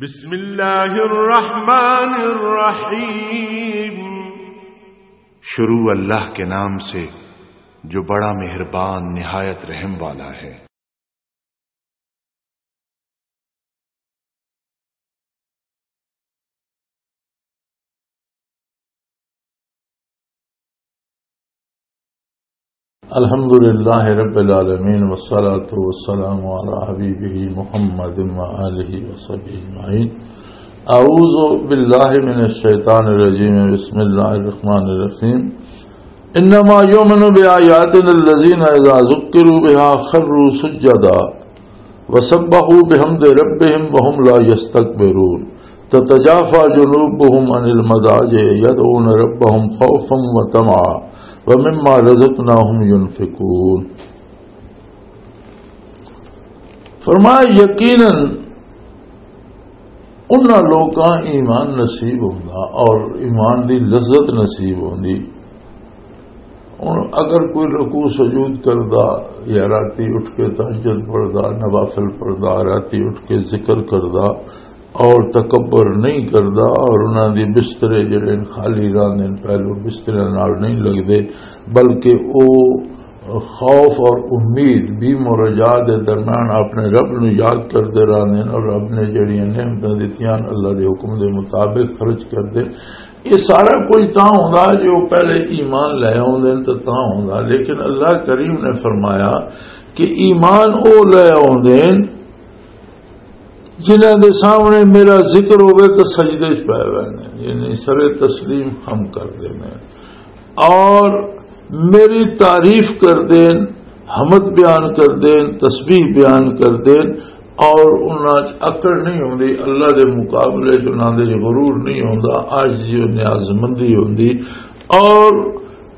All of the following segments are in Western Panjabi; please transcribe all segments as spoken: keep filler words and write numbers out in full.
بسم اللہ الرحمن الرحیم۔ شروع اللہ کے نام سے جو بڑا مہربان نہایت رحم والا ہے۔ الحمد لله رب العالمين، والصلاة والسلام على حبيبه محمد وآله وصحبه أجمعين. أعوذ بالله من الشيطان الرجيم. بسم الله الرحمن الرحيم. إنما يؤمن بآياتنا الذين إذا ذكروا بها خروا سجدا وسبحوا بحمد ربهم وهم لا يستكبرون. تتجافى جنوبهم عن المضاجع يدعون ربهم خوفا وطمعا ومما رزقناهم ينفقون. فرمایا، یقیناً انہاں لوکاں ایمان نصیب ہوندا اور ایمان دی لذت نصیب ہوندی۔ ہن اگر کوئی رکوع سجود کردا یا راتی اٹھ کے تہجد پڑھدا، نوافل پڑھدا، راتی اٹھ کے ذکر کردا اور تکبر نہیں کردا اور انہاں دی بسترے جڑے نے خالی راندے نے، پہلو بسترے نال نہیں لگدے، بلکہ او خوف اور امید، بیم اور رجا دے درمیان اپنے رب نو یاد کردے رہندے نے اور رب نے جڑیاں نعمتاں دتیاں، اللہ دے حکم دے مطابق خرچ کردے۔ یہ سارا کچھ تاں ہوندا جو پہلے ایمان لے آوندے نے تے تاں ہوندا، لیکن اللہ کریم نے فرمایا کہ ایمان او لے آوندے نے جنہاں دے سامنے میرا ذکر ہوئے تو سجدے چ پے ویندے نے، یعنی سر تسلیم خم کر دیندے نے اور میری تعریف کر دین، حمد بیان کر دین، تسبیح بیان کر دین، اور انہاں چ اکڑ نہیں ہوندی، اللہ دے مقابلے چ انہاں دے غرور نہیں ہوندا، عاجزی و نیاز مندی ہوندی، اور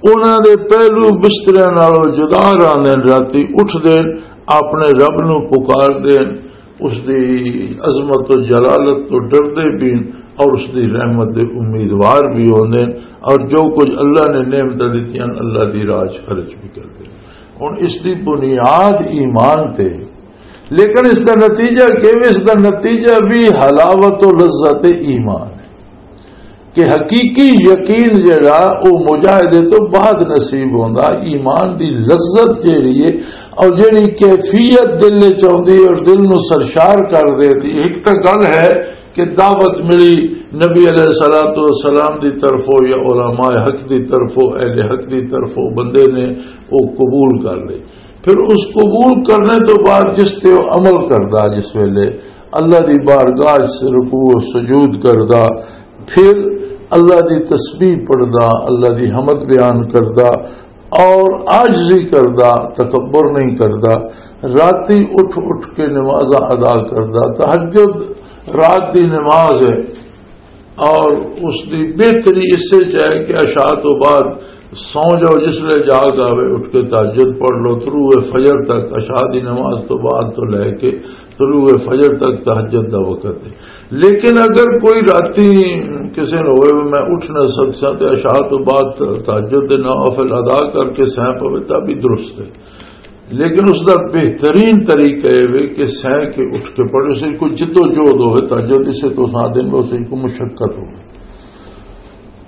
انہاں دے پہلو بستریاں نالوں جدا رہندے نے، راتی اٹھ دین، اپنے رب نو پکار دین، اس دی عظمت و جلالت تو ڈردے بھی ہیں اور اس دی رحمت دے امیدوار بھی ہوندے ہیں، اور جو کچھ اللہ نے نعمتاں دتیاں، اللہ دی راہ چ خرچ بھی کردے ہیں۔ ہن اس دی بنیاد ایمان تے، لیکن اس دا نتیجہ کیویں؟ اس دا نتیجہ بھی حلاوت و لذت ایمان ہے کہ حقیقی یقین جڑا، او مجاہدے تو بعد نصیب ہوندا۔ ایمان دی لذت جڑی ہے اور جڑی کیفیت دل وچ آندی اور دل نو سرشار کر دیتی، ایک تاں گل ہے کہ دعوت ملی نبی علیہ الصلوۃ والسلام دی طرفوں یا علماء حق دی طرفوں، اہل حق دی طرفوں، بندے نے او قبول کر لئی۔ پھر اس قبول کرنے تو بعد جس تے او عمل کردا، جس ویلے اللہ دی بارگاہ چ رکوع و سجود کردا، پھر اللہ دی تسبیح پڑھدا، اللہ دی حمد بیان کردا اور عاجزی کردا، تکبر نہیں کردا، راتی اٹھ اٹھ کے نمازاں ادا کردا۔ تہجد رات دی نماز ہے اور اس دی بہتری اس وچ ہے کہ عشاء تو بعد سو جاؤ، جس لے جاگ آوے اٹھ کے تہجد پڑھ لو، طلوع فجر تک، عشاء دی نماز تو بعد تو لے کے طلوع فجر تک تہجد دا وقت ہے۔ لیکن اگر کوئی راتی کسی نے ہوئے، "میں اٹھ نہ سکسا"، تے عشاء تو بعد تہجد دے نوافل ادا کر کے سہ پوے، تب بھی درست ہے۔ لیکن اس دا بہترین طریقہ یہ وے کہ سہ کے اٹھ کے پڑھے، اسے کوئی جد و جہد ہوئے، تہجد اسے تو ساتھ دن میں اسے کوئی مشقت ہوئے۔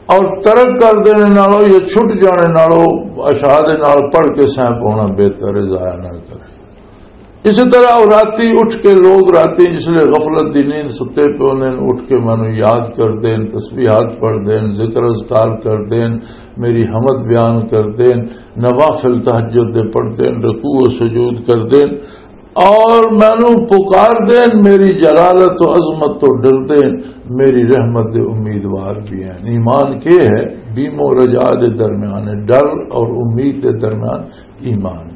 اور ترک کر دینے نالوں یا چھٹ جانے نالوں عشاء دے نال پڑھ کے سہ پاؤنا بہتر ہے، ضائع نہ کرے۔ اسی طرح او راتی اٹھ کے لوگ راتی جس لے غفلت دی نیند ستے پے ہوندے نے، اٹھ کے مینوں یاد کر دین، تسبیحات پڑھ دین، ذکر اذکار کر دین، میری حمد بیان کر دین، نوافل تہجد دے پڑھ دین، رکوع و سجود کر دین، اور مینوں پکار دین، میری جلالت و عظمت تو ڈر دین، میری رحمت دے امیدوار بھی ہیں۔ ایمان کے ہے؟ بیم و رجا دے درمیان ہے، ڈر اور امید دے درمیان ایمان۔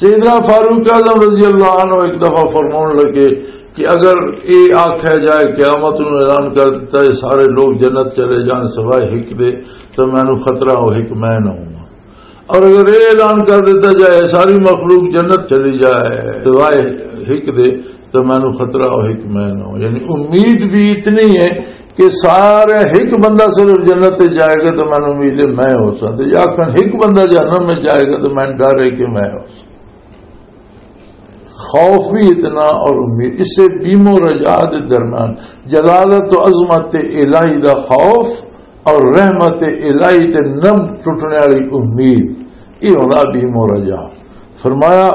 سیدنا فاروق اعظم رضی اللہ عنہ ایک دفعہ فرمانے لگے کہ اگر یہ آخیا جائے، قیامت نو اعلان کر دیتا ہے، سارے لوگ جنت چلے جان سوائے ہک دے، تو مینوں خطرہ ہو ہک میں نہ ہوں۔ اور اگر یہ اعلان کر دیتا جائے، ساری مخلوق جنت چلی جائے سوائے ہک دے، تو مینوں خطرہ ہو ہک میں نہ ہوں۔ یعنی امید بھی اتنی ہے کہ سارے ہک بندہ صرف جنت تے جائے گا، تو مینوں امید ہے میں ہو سکتا، یا آخر ہک بندہ جہنم میں جائے گا، تو میں ڈر ہے کہ میں ہو سکتا۔ خوف بھی اتنا اور امید، اس سے بیم و رجا دے درمیان جلالت و عظمت الہی دا خوف اور رحمت الہی تے نم ٹوٹنے والی امید، یہ ہونا بیم و رجا۔ فرمایا،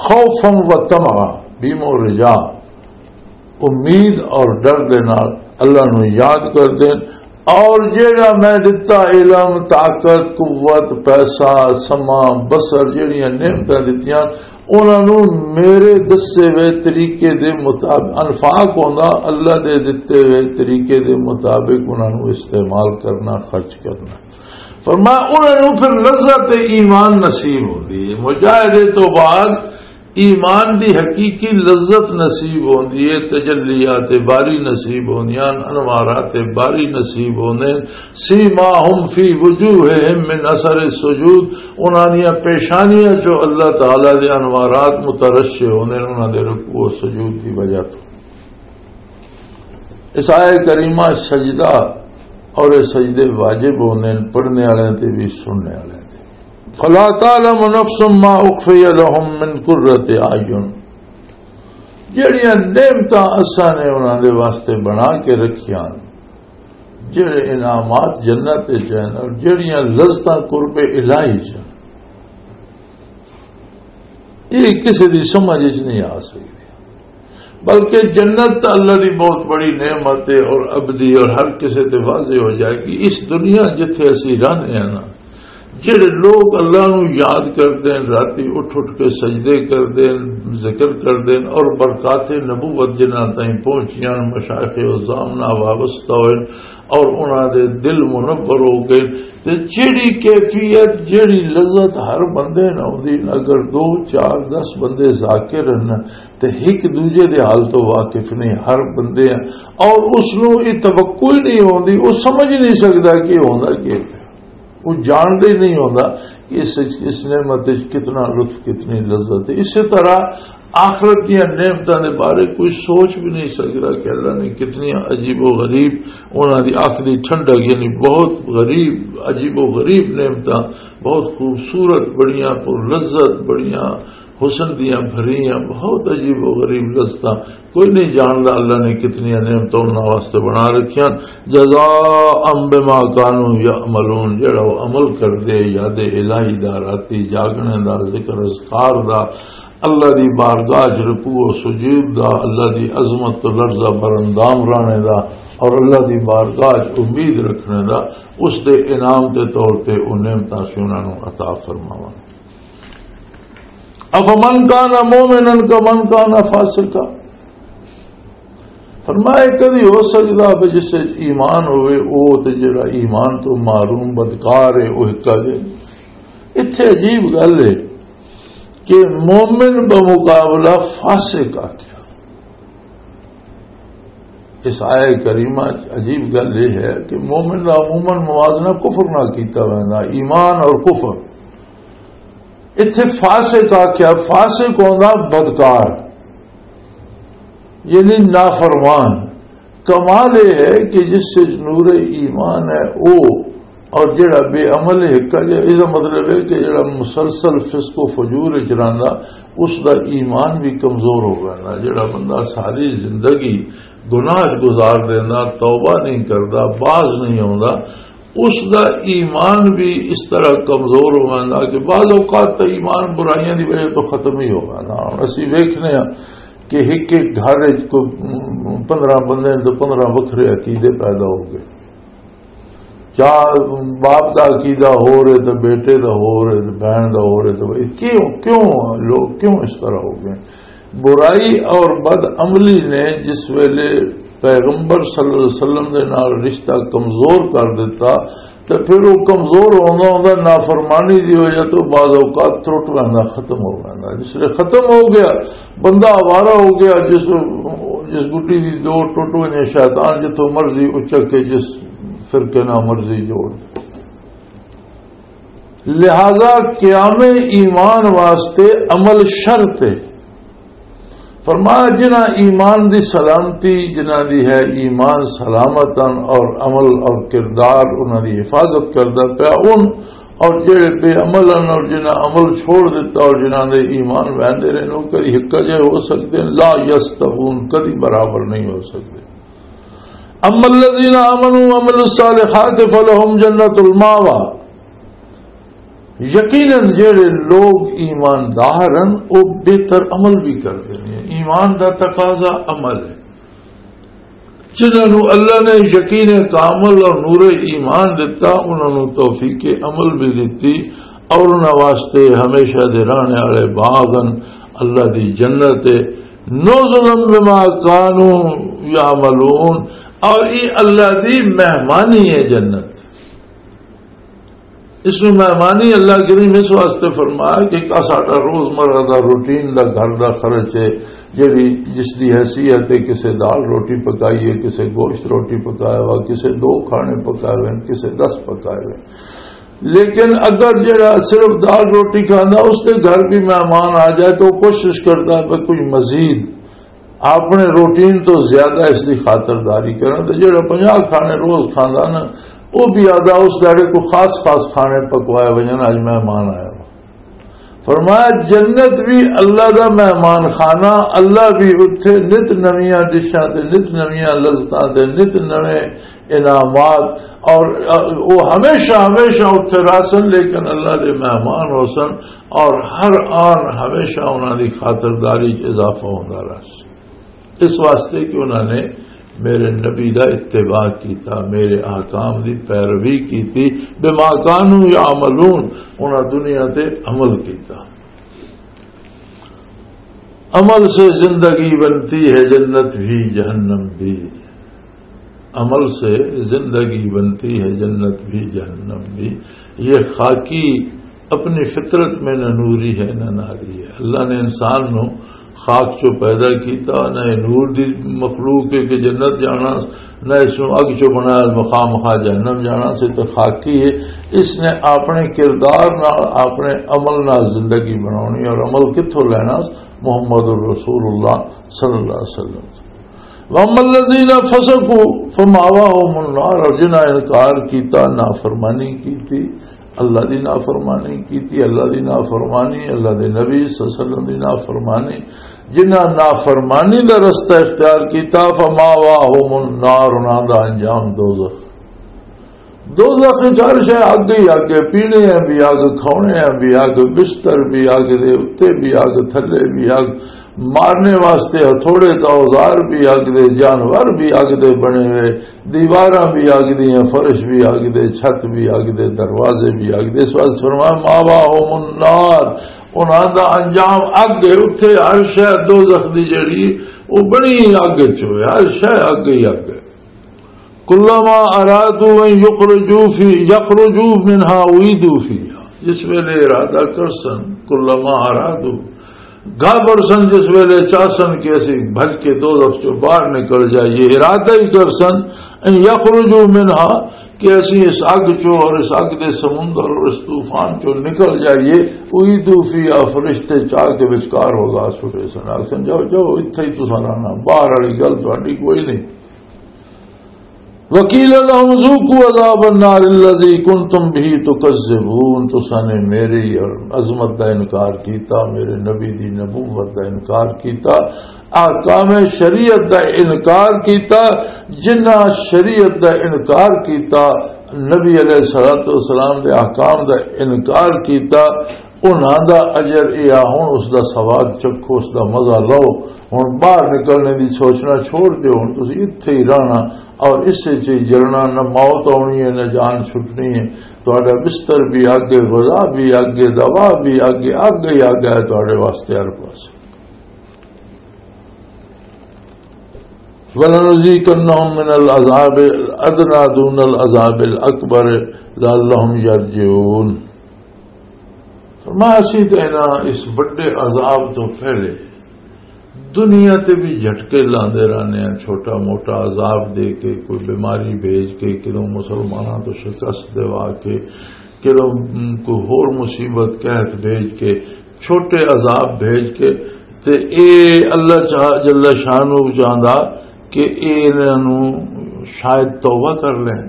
خوفا و طمعا، بیم و رجا، امید اور ڈر دے نال اللہ نو یاد کر دین۔ اور جیڑا میں دتا علم، طاقت، قوت، پیسہ، سما، بصر، جیڑیاں نعمتاں دتیاں، انہاں نو میرے دسے ہوئے طریقے دے مطابق، انفاق ہوندا اللہ دے دتے ہوئے طریقے دے مطابق انہاں نو استعمال کرنا، خرچ کرنا۔ فرمایا، انہاں نو پھر لذت ایمان نصیب ہوندی ہے۔ مجاہدے تو بعد ایمان دی حقیقی لذت نصیب ہوندی ہے، تجلیات باری نصیب ہوندیاں، انوارات باری نصیب ہوندے۔ سیماہم فی وجوہہم من اثر السجود، انہاں دیاں پیشانیاں چوں اللہ تعالیٰ دے انوارات مترشح ہوندے نے، انہاں دے رکوع و سجود دی وجہ تو۔ اس آیت کریمہ سجدہ اور یہ سجدے واجب ہوندے نے پڑھنے والے تے بھی سننے والے تے۔ فلا تعلم نفس ما اخفی لهم من قرۃ اعین، جڑیاں نعمتاں اساں نے انہاں دے واسطے بنا کے رکھیاں، جڑے انعامات جنت وچ ہیں اور جڑیاں لذتاں قرب الہی چ ہیں، یہ کسی دی سمجھ وچ نہیں آ سکدی۔ بلکہ جنت تاں اللہ دی بہت بڑی نعمت ہے اور ابدی اور ہر کسی تے واضح ہو جائے گی۔ اس دنیا جتھے اسی رہنے ہیں نا، جڑے لوگ اللہ نو یاد کردے ہیں، راتی اٹھ اٹھ کے سجدے کردے ہیں، ذکر کردے ہیں اور برکات نبوت جنہاں تائیں پہنچیاں، مشائخ عظام نال وابستہ ہوئے اور انہاں دے دل منور ہو گئے۔ تے جیڑی کیفیت، جیڑی لذت ہر بندے نوں ہوندی، اگر دو، چار، دس بندے ذاکر ہن تے ایک دوجے دے حال تو واقف نہیں، ہر بندے ہیں، اور اس نوں یہ توقع ہی نہیں ہوندی، وہ سمجھ نہیں سکدا کہ ہوندا کی پیا، وہ جاندا ہی نہیں ہوندا کہ اس، اس نعمت وچ کتنا لطف، کتنی لذت ہے۔ اسی طرح آخرت دیاں نعمتاں دے بارے کوئی سوچ بھی نہیں سکدا کہ اللہ نے کتنی عجیب و غریب، انہاں دی اکھ دی ٹھنڈک، یعنی بہت غریب، عجیب و غریب نعمتاں، بہت خوبصورت، بڑیاں پر لذت، بڑیاں حسن دیاں بھریاں، بہت عجیب و غریب لذتاں۔ کوئی نہیں جاندا اللہ نے کتنی نعمتاں انہاں واسطے بنا رکھیاں۔ جزاء بما کانوا یعملون، جڑا وہ عمل کردے، یاد الہی دا، راتی جاگنے دا، ذکر اذکار دا، اللہ دی بارگاہ چ رکوع و سجود دا، اللہ دی عظمت تو لرزہ بر اندام رانے دا، اور اللہ دی بارگاہ چ امید رکھنے دا، اس دے انعام دے طور تے او نعمتاں اسی انہاں نوں عطا فرماواں۔ افمن کان مومنا کمن کان فاسقا۔ فرمایا، کدی ہو سکدا بھی جس وچ ایمان ہوئے، او تے جڑا ایمان تو محروم بدکار ہے، او ہکا جے؟ اتھے عجیب گل ہے کہ مومن بمقابلہ فاسق آکھیا۔ اس آیہ کریمہ چ عجیب گل یہ ہے کہ مومن دا عموماً موازنہ کفر نال کیتا ویندا، ایمان اور کفر۔ اتھے فاسق آکھیا، فاسق ہوندا بدکار، یعنی نافرمان۔ کمال یہ ہے کہ جس سے نور ایمان ہے، او اور جڑا بے عمل ہے، اس دا مطلب ہے کہ جڑا مسلسل فسق و فجور وچ رہندا، اس دا ایمان بھی کمزور ہو گیا۔ جڑا بندہ ساری زندگی گناہ وچ گزار دیندا، توبہ نہیں کردا، باز نہیں ہوندا، اس دا ایمان بھی اس طرح کمزور ہو گیا کہ بعض اوقات تو ایمان برائیاں دی وجہ تو ختم ہی ہو گیا۔ ہن اسی ویکھنے ہاں کہ ایک ایک گھر وچ کوئی پندرہ بندے نے تو پندرہ وکھرے عقیدے پیدا ہو گئے۔ چار، باپ دا عقیدہ ہو رہے تو بیٹے دا ہو رہے تو بہن دا ہو رہے تو بھائی کیوں، کیوں لوگ کیوں اس طرح ہو گئے؟ برائی اور بد عملی نے جس ویلے پیغمبر صلی اللہ علیہ وسلم دے نال رشتہ کمزور کر دیتا، تو پھر وہ کمزور ہوندا ہوندا نافرمانی دی وجہ تو بعض اوقات ترٹ ویندا، ختم ہو ویندا۔ جس ویلے ختم ہو گیا، بندہ آوارہ ہو گیا، جس، جس گڈی دی ڈور ٹوٹ ونجے، شیطان جتھوں مرضی اچک کے جس فرقے نال مرضی جوڑ۔ لہذا قیام ایمان واسطے عمل شرط ہے۔ فرمایا، جنہاں ایمان دی سلامتی، جنہاں دی ہے ایمان سلامتاً اور عمل اور کردار انہاں دی حفاظت کردا پیا، ان اور جڑے بے عمل ہیں اور جنہاں عمل چھوڑ دیتا اور جنہاں دے ایمان وہندے رہے، وہ کدی ہکا جے ہو سکتے ہیں؟ لا یستوون، کدی برابر نہیں ہو سکتے۔ اما الذین آمنوا وعملوا الصالحات فلہم جنت الماوا۔ یقیناً جڑے لوگ ایماندار ہیں، وہ بہتر عمل بھی کرتے ہیں۔ ایمان دا تقاضا عمل ہے۔ جنہاں نوں اللہ نے یقین کامل اور نور ایمان دتا، انہاں نوں توفیق عمل بھی دتی، اور انہاں واسطے ہمیشہ دے رہنے والے باغ ہن، اللہ دی جنت ہے۔ نزلا بما کانوا یعملون، اور یہ اللہ دی مہمانی ہے جنت۔ اس میں مہمانی اللہ کریم اس واسطے فرمایا کہ ایک ساڈا روزمرہ دا روٹین دا گھر دا خرچ ہے، جڑی جس دی حیثیت ہے، کسے دال روٹی پکائی ہے، کسے گوشت روٹی پکایا ہوا، کسے دو کھانے پکائے ہوئے ہیں، کسے دس پکائے ہوئے ہیں۔ لیکن اگر جڑا صرف دال روٹی کھانا، اس دے گھر بھی مہمان آ جائے تو وہ کوشش کرتا ہے کہ کوئی مزید اپنے روٹین تو زیادہ اس دی خاطرداری کرن۔ تے جڑا پنجاہ کھانے روز کھاندا نا، وہ بھی آدھا اس داڑے کو خاص خاص کھانے پکوائے وجن، اج مہمان آیا وا۔ فرمایا، جنت بھی اللہ دا مہمان خانہ، اللہ بھی اتھے نت نویاں ڈشاں تے نت نویاں لذتاں تے نت نویں انعامات، اور وہ ہمیشہ ہمیشہ اتھے رہسن، لیکن اللہ دے مہمان ہوسن، اور ہر آن ہمیشہ انہاں دی خاطرداری چ اضافہ ہوندا رہسن۔ اس واسطے کہ انہاں نے میرے نبی دا اتباع کیتا، میرے احکام دی پیروی کیتی، بما کانوا یعملون، انہاں دنیا تے عمل کیتا۔ عمل سے زندگی بنتی ہے جنت بھی جہنم بھی، عمل سے زندگی بنتی ہے جنت بھی جہنم بھی۔ یہ خاکی اپنی فطرت میں نہ نوری ہے نہ ناری ہے۔ اللہ نے انسان نو خاک چو پیدا کیتا، نہ یہ نور دی مخلوق ہے کہ جنت جانا، نہ اس نو اگ چو بنایا مخا مخا جہنم جانا۔ سے تو خاکی ہے، اس نے اپنے کردار نال، اپنے عمل نال زندگی بنانی، اور عمل کتھوں لینا؟ محمد رسول اللہ صلی اللہ علیہ وسلم۔ وَأَمَّا الَّذِينَ فَسَقُوا فَمَأْوَاهُمُ النَّارُ، اور جنہاں انکار کیتا، نافرمانی کیتی، اللہ دی نافرمانی کیتی، اللہ دی نافرمانی، اللہ دے نبی صلی اللہ علیہ وسلم دی نافرمانی، جنہاں نافرمانی دا رستہ اختیار کیتا، فَمَأْوَاهُمُ النَّارُ، انہاں دا انجام دوزخ۔ دوزخ وچ ہر شے اگ ہی اگ ہے، پینے ہیں بھی اگ، کھانے ہیں بھی اگ، بستر بھی اگ دے اُتے بھی اگ، تھلے بھی اگ، مارنے واسطے ہتھوڑے تے اوزار بھی اگ دے، جانور بھی اگ دے بنے ہوئے، دیواراں بھی اگ دیاں، فرش بھی اگ دے، چھت بھی اگ دے، دروازے بھی اگ دے۔ اس واسطے فرمایا، ماواہم النار، انہاں دا انجام اگ ہے۔ اتھے ہر شے دوزخ دی جڑی، او بنی اگ وچ ہوئے، ہر شے اگ ہی اگ ہے۔ کلما ارادوا ان یخرجوا فی، یخرجوا منها اعیدوا فیها، جس ویلے ارادہ کرسن، کلما ارادوا، گا برسن، جس ویلے چاہسن کہ اسی بھج کے دوزخ چوں باہر نکل جائیے، ارادہ ہی کرسن، ان یخرجوا منها، کہ اسی اس اگ چوں اور اس اگ دے سمندر اور اس طوفان چوں نکل جائیے، اعیدوا فیها، فرشتے چاہ کے وچکار ہوگا چھوڑے سن، آکھسن، جاؤ، جاؤ، اتھے ہی تساں رہنا، باہر والی گل تہاڈی کوئی نہیں۔ وقیل لهم ذوقوا عذاب النار الذی کنتم به تکذبون، تساں نے میری عظمت دا انکار کیتا، میرے نبی دی نبوت دا انکار کیتا، احکام شریعت دا انکار کیتا۔ جنہاں شریعت دا انکار کیتا، نبی علیہ الصلوۃ والسلام دے احکام دا انکار کیتا، انہاں دا اجر اے آ، ہن اس دا سواد چکھو، اس دا مزہ لو۔ ہن باہر نکلنے دی سوچنا چھوڑ دیو، ہن تسی اتھے ہی رہنا، اور اسے چ ہی جلنا، نہ موت آنی ہے، نہ جان چھٹنی ہے۔ تہاڈا بستر بھی اگ ہے، غذا بھی اگ ہے، دوا بھی اگ ہے، اگ ہی اگ ہے تہاڈے واسطے ہر پاسے۔ وَلَنُذِيقَنَّهُم مِّنَ الْعَذَابِ الْأَدْنَىٰ دُونَ الْعَذَابِ الْأَكْبَرِ لَعَلَّهُمْ يَرْجِعُونَ۔ فرمایا، اسی تے انہاں اس وڈے عذاب تو پہلے دنیا تے بھی جھٹکے لاندے رہنے ہیں، چھوٹا موٹا عذاب دے کے، کوئی بیماری بھیج کے، کدوں مسلماناں تو شکست دیوا کے، کدوں، م، کوئی ہور مصیبت قحط بھیج کے، چھوٹے عذاب بھیج کے، تے اے اللہ چاہ-، جل شانہ چاہندا کہ اے انہاں نوں شاید توبہ کر لین۔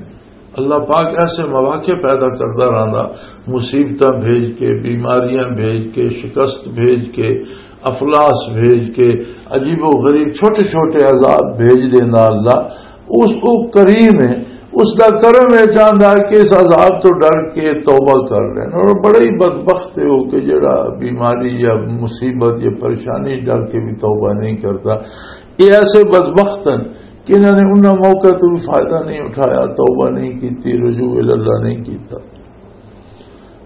اللہ پاک ایسے مواقع پیدا کرتا رہتا، مصیبتاں بھیج کے، بیماریاں بھیج کے، شکست بھیج کے، افلاس بھیج کے، عجیب و غریب چھوٹے چھوٹے عذاب بھیج دینا اللہ۔ اس کو کریم ہے، اس دا کرم ہے، چاہتا ہے کہ اس عذاب تو ڈر کے توبہ کر لیں۔ اور بڑا ہی بدبخت ہے وہ کہ جڑا بیماری یا مصیبت یا پریشانی ڈر کے بھی توبہ نہیں کرتا۔ یہ ایسے بدبخت ہیں کہ انہوں نے انہاں موقع تو بھی فائدہ نہیں اٹھایا، توبہ نہیں کیتی، رجوع اللہ نہیں کیتا۔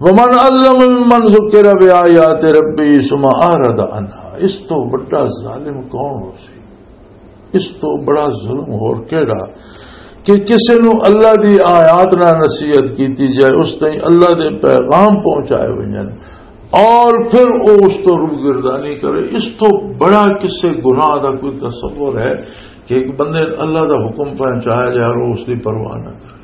ومن اظلم ممن ذکر بآیات ربی ثم اعرض عنہا۔ اس تو بڑا ظالم کون ہو سی؟ اس تو بڑا ظلم ہور کیڑا کہ کسے نو اللہ دی آیات نہ نصیحت کیتی جائے، اس تائیں اللہ دے پیغام پہنچائے ونجن، اور پھر وہ اس تو روگردانی کرے۔ اس تو بڑا کسے گناہ دا کوئی تصور ہے کہ ایک بندے نوں اللہ دا حکم پہنچایا جائے اور وہ اس دی پرواہ نہ کرے؟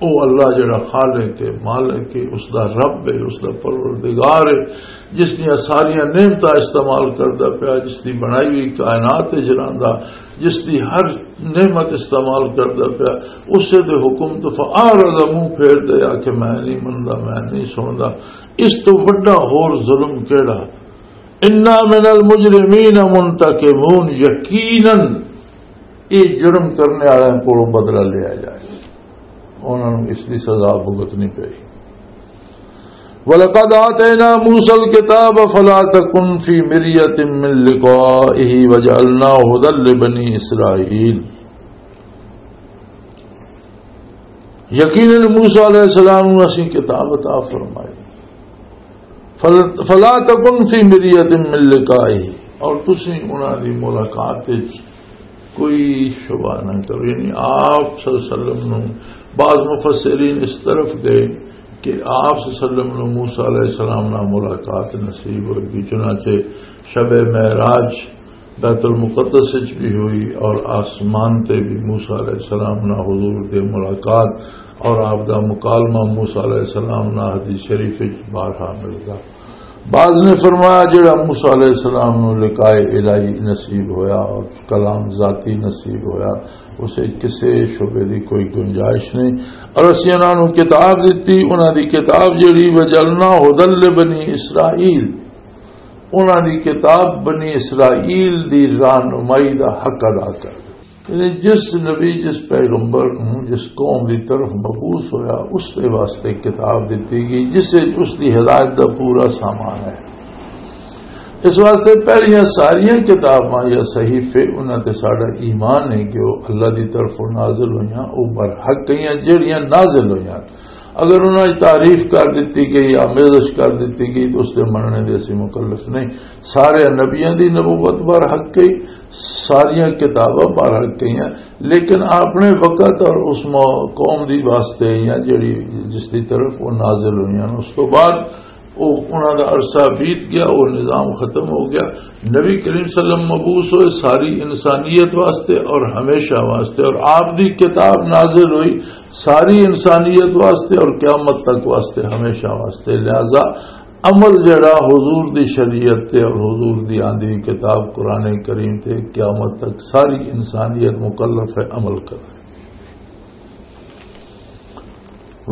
او اللہ جڑا خالق ہے، مالک ہے، اس دا رب ہے، اس دا پروردگار ہے، جس دیاں ساریاں نعمتاں استعمال کردا پیا، جس دی بنائی ہوئی کائنات وچ رہندا، جس دی ہر نعمت استعمال کردا پیا، اسے دے حکم تو فاعرض، منہ پھیر دے، آ کہ میں نہیں مندا، میں نہیں سندا۔ اس تو وڈا ہور ظلم کیڑا؟ انا من المجرمین منتقمون، یقیناً یہ جرم کرنے والوں کو بدلہ لیا جائے، انہوں نے اس کی سزا بھگتنی پئی۔ وَلَقَدْ آتَيْنَا مُوسَى الْكِتَابَ فَلَا تَكُنْ فِي مِرْيَةٍ مِّن لِّقَائِهِ وَجَعَلْنَاهُ هُدًى لِّبَنِي إِسْرَائِيلَ۔ یقیناً موسیٰ علیہ السلام نوں اسیں کتاب عطا فرمائی۔ فل-، فلا تکن فی مریۃ من لقائہ، اور تسی انہاں دی ملاقات وچ کوئی شبہ نہ کرو۔ یعنی آپ صلی اللہ علیہ وسلم نوں، بعض مفسرین اس طرف گئے کہ آپ صلی اللہ علیہ وسلم نوں موسیٰ علیہ السلام نال ملاقات نصیب ہوئی، چنانچہ شب معراج بیت المقدس وچ بھی ہوئی اور آسمان تے بھی موسیٰ علیہ السلام نال حضور دی ملاقات اور آپ دا مکالمہ موسیٰ علیہ السلام نال حدیث شریف وچ بارہا ملدا۔ بعض نے فرمایا، جڑا موسیٰ علیہ السلام نوں لقائے الہی نصیب ہویا اور کلام ذاتی نصیب ہویا، اسے کسے شبے دی کوئی گنجائش نہیں۔ اور اسی انہاں نوں کتاب دتی، انہاں دی کتاب جڑی وجعلنا ہدی لبنی اسرائیل، انہاں دی کتاب بنی اسرائیل دی رہنمائی دا حق ادا کر دے۔ یعنی جس نبی، جس پیغمبر نوں جس قوم دی طرف مبعوث ہویا، اس دے واسطے کتاب دتی گئی، جس وچ اس دی ہدایت دا پورا سامان ہے۔ اس واسطے پہلیاں ساریاں کتاباں یا صحیفے، انہاں تے ساڈا ایمان ہے کہ وہ اللہ دی طرفوں نازل ہویاں، وہ برحق گئیاں جڑیاں نازل ہویاں۔ اگر انہاں دی تعریف کر دتی گئی، آمیزش کر دتی گئی، تو اس دے مننے دے اسی مکلف نہیں۔ سارے نبیاں دی نبوت برحق گئی، ساریاں کتاباں برحق گئیاں، لیکن اپنے وقت اور اس مو-، قوم دی واسطے یا جڑی، جس دی طرف وہ نازل ہوئیاں، اس تو بعد وہ، انہاں دا عرصہ بیت گیا، وہ نظام ختم ہو گیا۔ نبی کریم صلی اللہ علیہ وسلم مبعوث ہوئے ساری انسانیت واسطے اور ہمیشہ واسطے، اور آپ دی کتاب نازل ہوئی ساری انسانیت واسطے اور قیامت تک واسطے، ہمیشہ واسطے۔ لہذا عمل جڑا حضور دی شریعت تے اور حضور دی آندی کتاب قرآن کریم تے، قیامت تک ساری انسانیت مکلف ہے عمل کرنے۔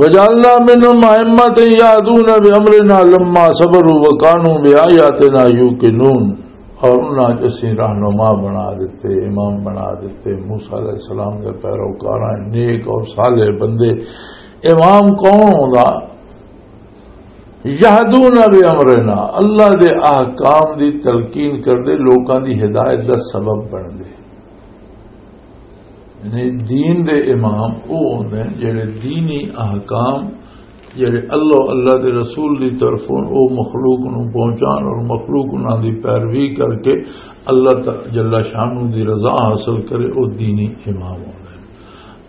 وجعلنا منهم أئمة يهدون بأمرنا لما صبروا وكانوا بآياتنا يوقنون۔ اور انہاں چ اسیں رہنما بنا دیتے، امام بنا دیتے، موسیٰ علیہ السلام دے پیروکاراں، نیک اور صالح بندے۔ امام کون ہوندا؟ یہدون بامرنا، اللہ دے احکام دی تلقین کردے، لوکاں دی ہدایت دا سبب بندے۔ یعنی دین دے امام او ہوندے ہیں جڑے دینی احکام، جڑے اللہ، اللہ دے رسول دی طرفوں او مخلوق نوں پہنچان اور مخلوق انہاں دی پیروی کر کے اللہ تعالی جل شانہ دی رضا حاصل کرے، او دینی امام ہوندے ہیں۔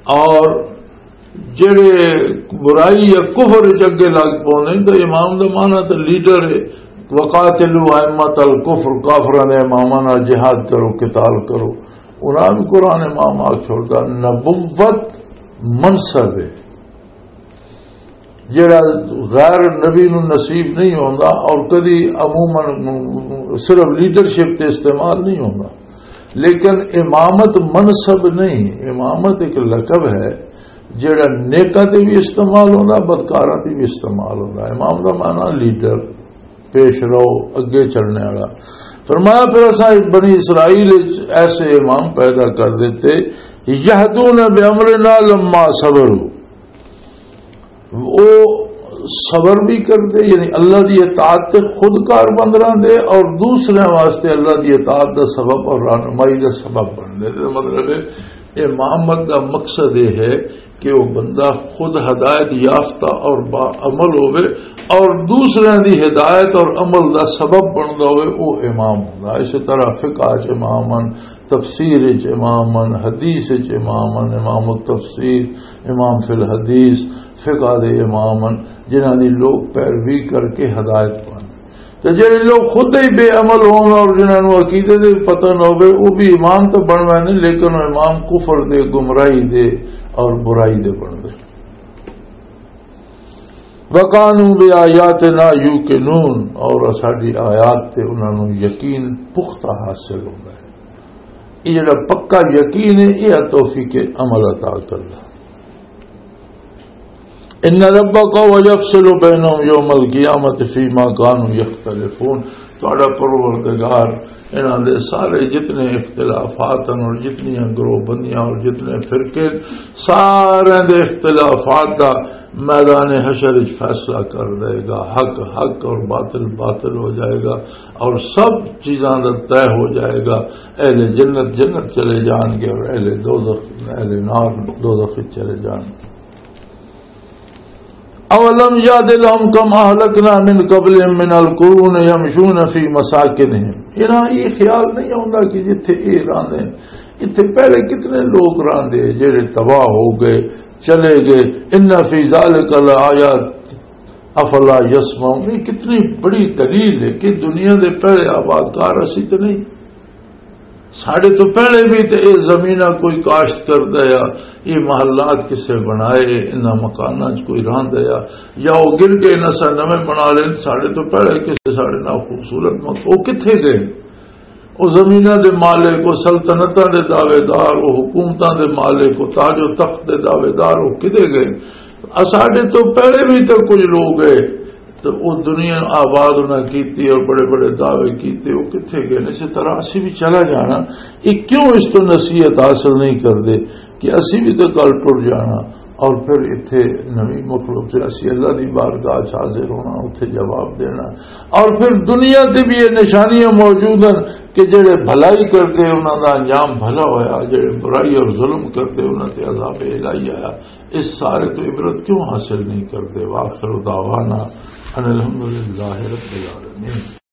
اور جڑے برائی یا کفر وچ اگے لگ پوندے نے، تے امام دا معنی تے لیڈر ہے۔ وقاتلوا ائمۃ الکفر، کافراں دے اماماں نال جہاد کرو، قتال کرو۔ انہاں بھی قرآن امام آ چھوڑدا، نبوت منصب ہے جڑا غیر نبی نو نصیب نہیں ہوندا اور کدی عموماً صرف لیڈرشپ تے استعمال نہیں ہوندا۔ لیکن امامت منصب نہیں، امامت ایک لقب ہے۔ جڑا نیکاں تے بھی استعمال ہوندا، بدکاراں تے بھی استعمال ہوندا۔ امام دا معنی لیڈر، پیش رو، اگے چلنے والا۔ فرمایا، پھر اساں بنی اسرائیل وچ ایسے امام پیدا کر دیتے، یہدون بامرنا لما صبروا، وہ صبر بھی کردے، یعنی اللہ دی اطاعت تے خود کار بند رہندے اور دوسرے واسطے اللہ دی اطاعت دا سبب اور رہنمائی دا سبب بندے۔ تے مطلب ہے، امامت دا مقصد یہ ہے کہ وہ بندہ خود ہدایت یافتہ اور با عمل ہوئے اور دوسرے دی ہدایت اور عمل دا سبب بندا ہوئے، وہ امام ہوندا۔ اسی طرح فقہ چ امام ہن، تفسیر چ امام ہن، حدیث چ امام ہن، امام التفسیر، امام فی الحدیث، فقہ دے امام ہن، جنہاں دی لوگ پیروی کر کے ہدایت پاندے۔ تے جڑے لوگ خود ہی بے عمل ہون اور جنہاں نوں عقیدے دے پتہ نہ ہوے، وہ بھی امام تو بن ویندے، لیکن وہ امام کفر دے، گمراہی دے اور برائی دے بن دے۔ وَكَانُوا بِآيَاتِنَا يُوقِنُونَ، اور ساڈی آیات تے انہاں نوں یقین پختہ حاصل ہوندا ہے۔ یہ جڑا پکا یقین ہے، یہ توفیق عمل عطا کردا۔ ان ربک یفصل بینہم یوم القیامۃ فیما کانوا یختلفون۔ تہاڈا پروردگار انہاں دے سارے جتنے اختلافات ہیں اور جتنی گروہ بندیاں اور جتنے فرقے، سارے دے اختلافات دا میدان حشر وچ فیصلہ کر دے گا۔ حق حق اور باطل باطل ہو جائے گا اور سب چیزاں دا طے ہو جائے گا۔ اہل جنت جنت چلے جان گے اور اہل دوزخ، اہل نار دوزخ وچ چلے جان گے۔ اولم یعد لهم کم اہلکنا من قبلهم من القرون یمشون فی مساکنهم۔ انہاں یہ خیال نہیں ہوندا کہ جتھے یہ راندے ہیں، اتھے پہلے کتنے لوگ راندے جڑے تباہ ہو گئے، چلے گئے۔ ان فی ذلک لآیات افلا یسمعون۔ یہ کتنی بڑی دلیل ہے کہ دنیا دے پہلے آبادکار اسی تے نہیں۔ ساڈے تو پہلے بھی تے اے زمیناں کوئی کاشت کردا یا اے محلات کسے بنائے، انہاں مکاناں چ کوئی رہندا یا، یا او گر گئے، نسا نویں بنا لین۔ ساڈے تو پہلے کسے ساڈے نال خوبصورت مک-، او کتھے گئے؟ او زمیناں دے مالک، او سلطنتاں دے دعوے دار، او حکومتاں دے مالک، او تاج و تخت دے دعوے دار، او کدے گئے؟ اساڈے تو پہلے بھی تے کچھ لوگ گئے، تو وہ دنیا آباد انہاں کیتی اور بڑے بڑے دعوے کیتے، وہ کتھے گئے؟ اسی طرح اسی بھی چلا جانا۔ یہ کیوں اس تو نصیحت حاصل نہیں کردے کہ اسی بھی تو کل ٹر جانا اور پھر اتھے نوی مخلوق سے اسی اللہ دی بارگاہ چ حاضر ہونا، اتھے جواب دینا۔ اور پھر دنیا تے بھی یہ نشانیاں موجود ہیں کہ جڑے بھلائی کرتے انہاں دا انجام بھلا ہویا، جڑے برائی اور ظلم کرتے انہاں تے عذاب الہی آیا۔ اس سارے تو عبرت کیوں حاصل نہیں کرتے؟ وآخر دعوانا ان الحمدللہ رب العالمین۔